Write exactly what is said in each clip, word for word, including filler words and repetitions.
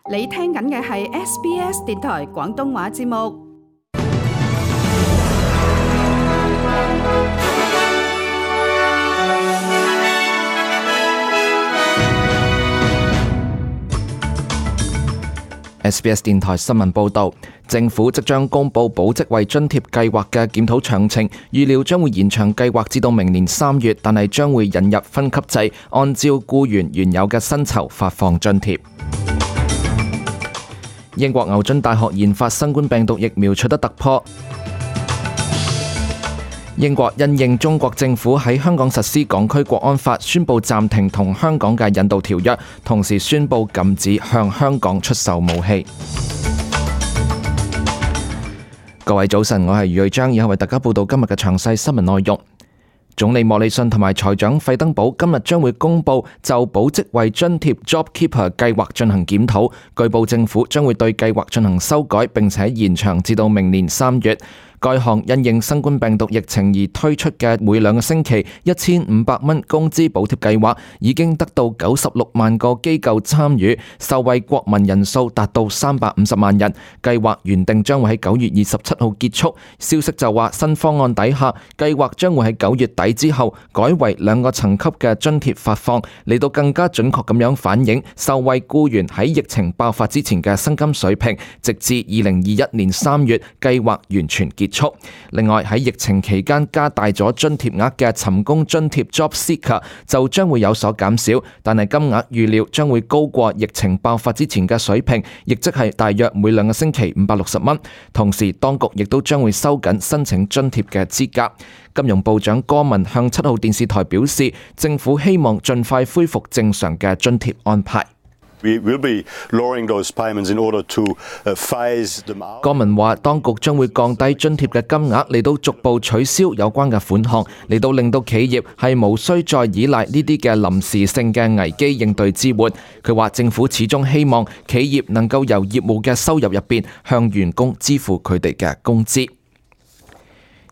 你聽緊嘅係 S B S 電台廣東話節目。S B S 電台新聞報導，政府即將公布保職位津貼計劃嘅檢討詳情，預料將會延長計劃至到明年三月，但係將會引入分級制，按照僱員原有嘅薪酬發放津貼。英國牛津大學研發新冠病毒疫苗取得突破。英國因應中國政府喺香港實施港區國安法，宣布暫停同香港嘅引渡條約，同時宣布禁止向香港出售武器。各位早晨，我係余瑞章，以下為大家報道今日嘅詳細新聞內容。總理莫里遜同埋財長費登堡今日將會公布就保職位津貼 JobKeeper 計劃進行檢討，據報政府將會對計劃進行修改，並且延長至到明年三月。該項因應新冠病毒疫情而推出嘅每兩個星期一千五百蚊工資補貼計劃，已經得到九十六萬個機構參與，受惠國民人數達到三百五十萬人。計劃原定將會喺九月二十七號結束，消息就話新方案底下，計劃將會喺九月底之後改為兩個層級嘅津貼發放，嚟到更加準確咁樣反映受惠僱員喺疫情爆發之前嘅薪金水平，直至二零二一年三月計劃完全結束。另外喺疫情期間加大咗津貼額嘅尋工津貼 JobSeeker 就將會有所減少，但係金額預料將會高過疫情爆發之前嘅水平，亦即係大約每兩個星期五百六十蚊。同時當局亦都將會收緊申請津貼嘅資格。金融部長戈文向七號電視台表示，政府希望盡快恢復正常嘅津貼安排。We will be lowering those payments in order to phase them out. 戈文話，當局將會降低津貼嘅金額，嚟到逐步取消有關嘅款項，嚟到令到企業係無需再依賴呢啲嘅臨時性嘅危機應對支援。佢話政府始終希望企業能夠由業務嘅收入入邊向員工支付佢哋嘅工資。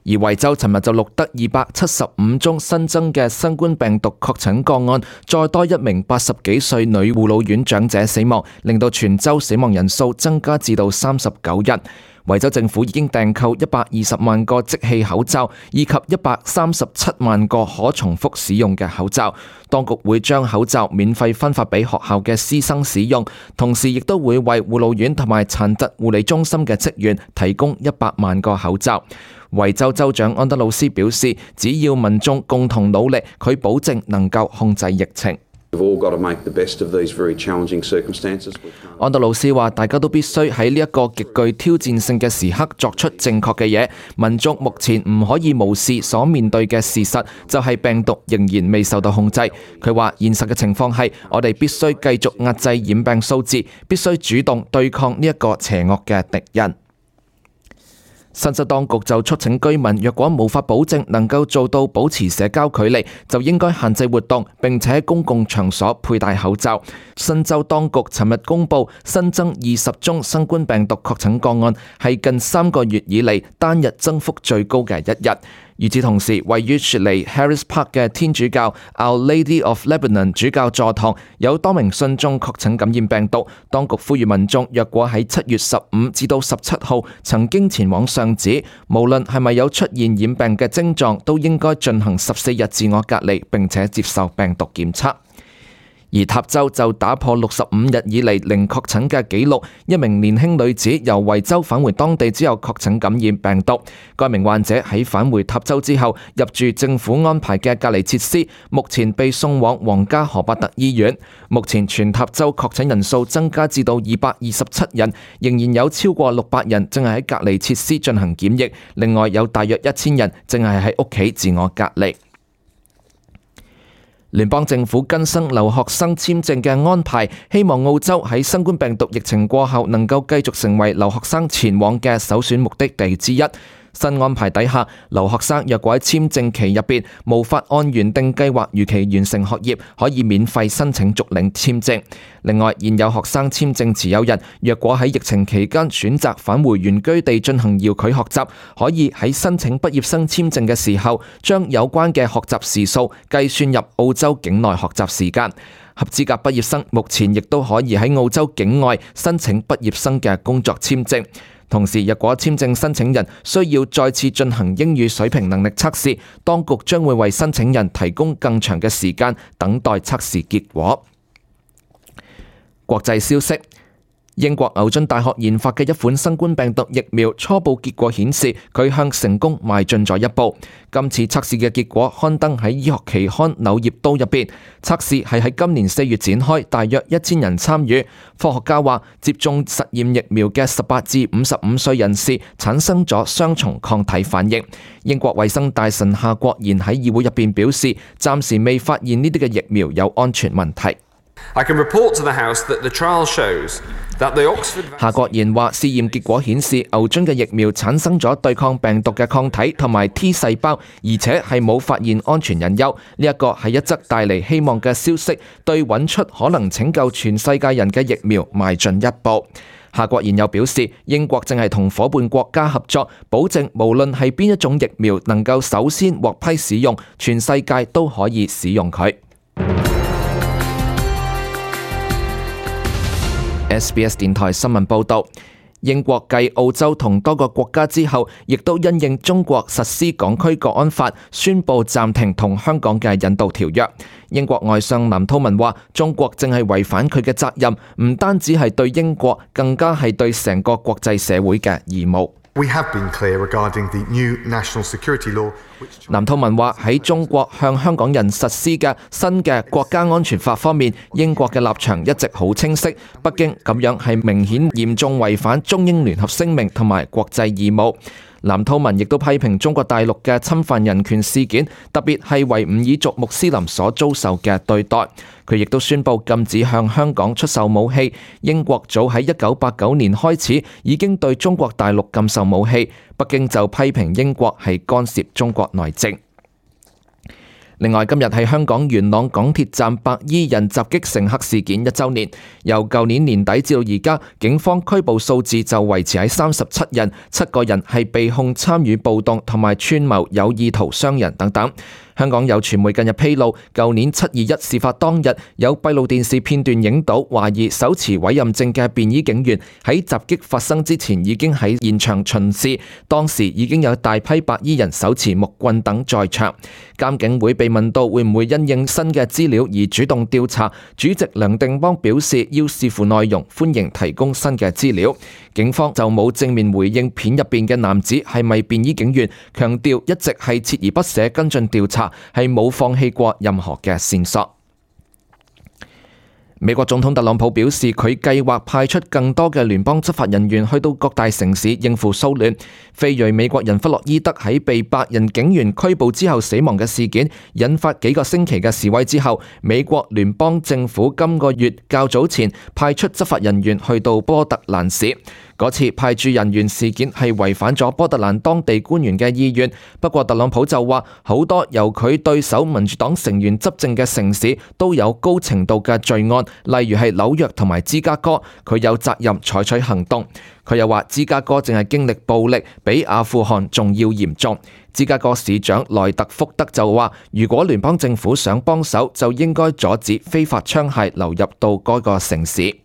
而維州尋日就錄得二百七十五宗新增嘅新冠病毒確診個案，再多一名八十幾歲女護老院長者死亡，令到全州死亡人數增加至到三十九人。維州政府已經訂購一百二十萬個即棄口罩，以及一百三十七萬個可重複使用嘅口罩。當局會將口罩免費分發俾學校嘅師生使用，同時亦都會為護老院同埋殘疾護理中心嘅職員提供一百萬個口罩。維州州長安德魯斯表示，只要民眾共同努力，佢保證能夠控制疫情。安德魯斯話，大家都必須喺呢一個極具挑戰性嘅時刻作出正確嘅嘢。民眾目前唔可以無視所面對嘅事實，就係病毒仍然未受到控制。佢話現實嘅情況係，我哋必須繼續壓制染病數字，必須主動對抗呢一個邪惡嘅敵人。新州當局就促請居民，若果無法保證能夠做到保持社交距離，就應該限制活動，並且喺公共場所佩戴口罩。新州當局尋日公布新增二十宗新冠病毒確診個案，係近三個月以嚟單日增幅最高嘅一日。與此同時，位於雪梨 Harris Park 嘅天主教 Our Lady of Lebanon 主教座堂有多名信眾確診感染病毒。當局呼籲民眾，若果喺七月十五至到十七號曾經前往上址，無論係咪有出現染病嘅症狀，都應該進行十四日自我隔離，並且接受病毒檢測。而塔州就打破六十五日以嚟零確診嘅紀錄，一名年輕女子由維州返回當地之後確診感染病毒。該名患者喺返回塔州之後入住政府安排嘅隔離設施，目前被送往皇家荷伯特醫院。目前全塔州確診人數增加至到二百二十七人，仍然有超過六百人正係喺隔離設施進行檢疫，另外有大約一千人正係喺屋企自我隔離。聯邦政府更新留學生簽證嘅安排，希望澳洲喺新冠病毒疫情過後能夠繼續成為留學生前往嘅首選目的地之一。新安排底下，留學生若果喺簽證期入邊無法按原定計劃如期完成學業，可以免費申請續領簽證。另外，現有學生簽證持有人若果喺疫情期間選擇返回原居地進行遙距學習，可以喺申請畢業生簽證嘅時候，將有關嘅學習時數計算入澳洲境內學習時間。合資格畢業生目前亦都可以喺澳洲境外申請畢業生嘅工作簽證。同時，若果簽證申請人需要再次進行英語水平能力測試，當局將會為申請人提供更長嘅時間等待測試結果。國際消息。英國牛津大學研發嘅一款新冠病毒疫苗初步結果顯示，佢向成功邁進咗一步。今次測試嘅結果刊登喺醫學期刊《柳葉刀》入邊。測試係喺今年四月展開，大約一千人參與。科學家話，接種實驗疫苗嘅十八至五十五歲人士產生咗雙重抗體反應。英國衛生大臣夏國賢喺議會入邊表示，暫時未發現呢啲嘅疫苗有安全問題。I can report to the House that the trial shows that the Oxford. 夏國賢話，試驗結果顯示牛津嘅疫苗產生咗對抗病毒嘅抗體同埋 T 細胞，而且係冇發現安全隱憂。呢一個係一則帶嚟希望嘅消息，對揾出可能拯救全世界人嘅疫苗邁進一步。夏國賢又表示，英國正係同伙伴國家合作，保證無論係邊一種疫苗能夠首先獲批使用，全世界都可以使用佢。S B S 電台新聞報導，英國繼澳洲同多個國家之後，亦都因應中國實施港區國安法，宣布暫停同香港嘅引渡條約。英國外相藍韜文話，中國正係違反佢嘅責任，唔單止係對英國，更加係對成個國際社會嘅義務。We have been clear regarding the new national security law. 藍韜文話，喺中國向香港人實施嘅新嘅國家安全法方面，英國嘅立場一直好清晰。北京咁樣係明顯嚴重違反中英聯合聲明同埋國際義務。藍韜文亦都批評中國大陸嘅侵犯人權事件，特別係維吾爾族穆斯林所遭受嘅對待。佢亦都宣布禁止向香港出售武器。英國早喺一九八九年開始已經對中國大陸禁售武器，北京就批評英國係干涉中國內政。另外，今日係香港元朗港鐵站白衣人襲擊乘客事件一週年。由舊年年底至到而家，警方拘捕數字就維持喺三十七人，七個人係被控參與暴動同埋串謀有意圖傷人等等。香港有傳媒近日披露，舊年七二一事發當日，有閉路電視片段影到懷疑手持委任證嘅便衣警員喺襲擊發生之前已經喺現場巡視，當時已經有大批白衣人手持木棍等在場。監警會被問到會唔會因應新嘅資料而主動調查，主席梁定邦表示要視乎內容，歡迎提供新嘅資料。警方就冇正面回應片入邊嘅男子係咪便衣警員，強調一直係鍥而不捨跟進調查，係冇放棄過任何嘅線索。美國總統特朗普表示，佢計劃派出更多嘅聯邦執法人員去到各大城市應付騷亂。非裔美國人弗洛伊德喺被白人警員拘捕之後死亡嘅事件，引發幾個星期嘅示威之後，美國聯邦政府今個月較早前派出執法人員去到波特蘭市。嗰次派駐人員事件係違反咗波特蘭當地官員嘅意願，不過特朗普就話好多由佢對手民主黨成員執政嘅城市都有高程度嘅罪案，例如係紐約同埋芝加哥，佢有責任採取行動。佢又話芝加哥正係經歷暴力，比阿富汗仲要嚴重。芝加哥市長萊特福德就話，如果聯邦政府想幫手，就應該阻止非法槍械流入到該個城市。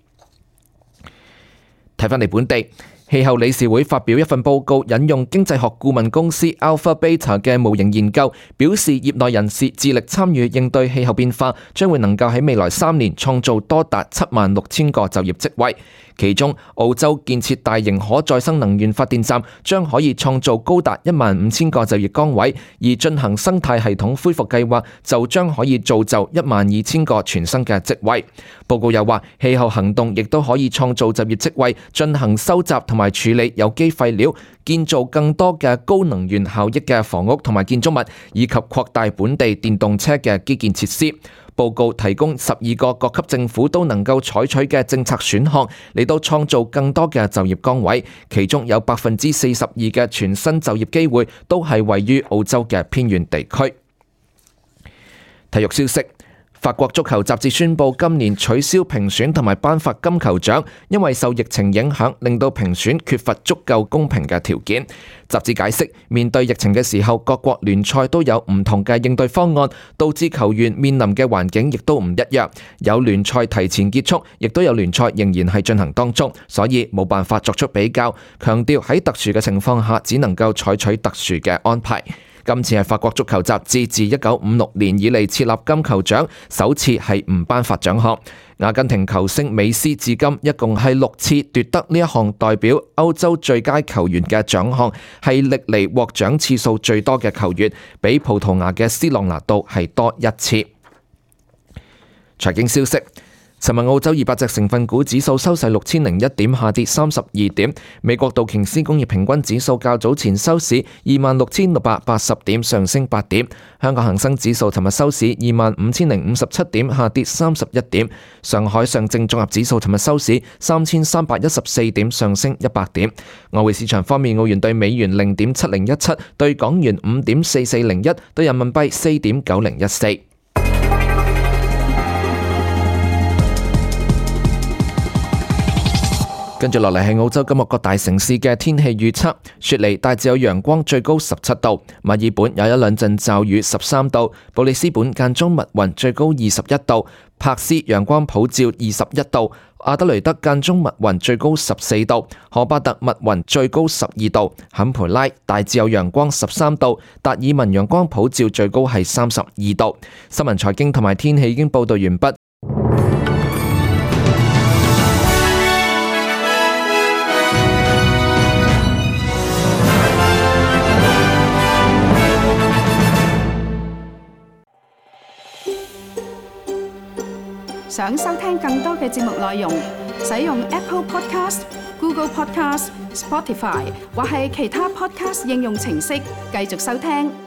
睇返嚟本地，氣候理事會發表一份報告，引用經濟學顧問公司 Alpha Beta 嘅模型研究，表示業內人士致力參與應對氣候變化，將會能夠喺未來三年創造多達七萬六千個就業職位。其中，澳洲建設大型可再生能源發電站將可以創造高達一萬五千個就業崗位，而進行生態系統恢復計劃就將可以造就一萬二千個全新嘅職位。報告又話，氣候行動亦都可以創造就業職位，進行收集同埋處理有機廢料，建造更多嘅高能源效益嘅房屋同埋建築物，以及擴大本地電動車嘅基建設施。報告提供十二個各級政府都能夠採取嘅政策選項，嚟到創造更多嘅就業崗位，其中有百分之四十二嘅全新就業機會都係位於澳洲嘅偏遠地區。體育消息。法國足球雜誌宣布今年取消評選同埋頒發金球獎，因為受疫情影響，令到評選缺乏足夠公平嘅條件。雜誌解釋，面對疫情嘅時候，各國聯賽都有唔同嘅應對方案，導致球員面臨嘅環境亦都唔一樣。有聯賽提前結束，亦都有聯賽仍然係進行當中，所以冇辦法作出比較。強調喺特殊嘅情況下，只能夠採取特殊嘅安排。今次係法國足球雜誌自一九五六年以嚟設立金球獎，首次係唔頒發獎項。阿根廷球星美斯至今一共係六次奪得呢一項代表歐洲最佳球員嘅獎項，係歷嚟獲獎次數最多嘅球員，比葡萄牙嘅斯朗拿度係多一次。財經消息。尋日澳洲二百隻成分股指數收市六千零一點，下跌三十二點。美國道瓊斯工業平均指數較早前收市二萬六千六百八十點，上升八點。香港恒生指數尋日收市二萬五千零五十七點，下跌三十一點。上海上證綜合指數尋日收市三千三百一十四點，上升一百點。外匯市場方面，澳元對美元零點七零一七，對港元五點四四零一，對人民幣四點九零一四。跟住落嚟係澳洲今日各大城市嘅天氣預測。雪梨大致有陽光，最高十七度；墨爾本有一兩陣驟雨，十三度；布里斯本間中密雲，最高二十一度；珀斯陽光普照，二十一度；阿德雷德間中密雲，最高十四度；荷巴特密雲，最高十二度；坎培拉大致有陽光，十三度；達爾文陽光普照，最高係三十二度。新聞財經同埋天氣已經報道完畢。想收聽更多嘅節目內容，使用 Apple Podcast、Google Podcast、Spotify 或係其他 Podcast 應用程式繼續收聽。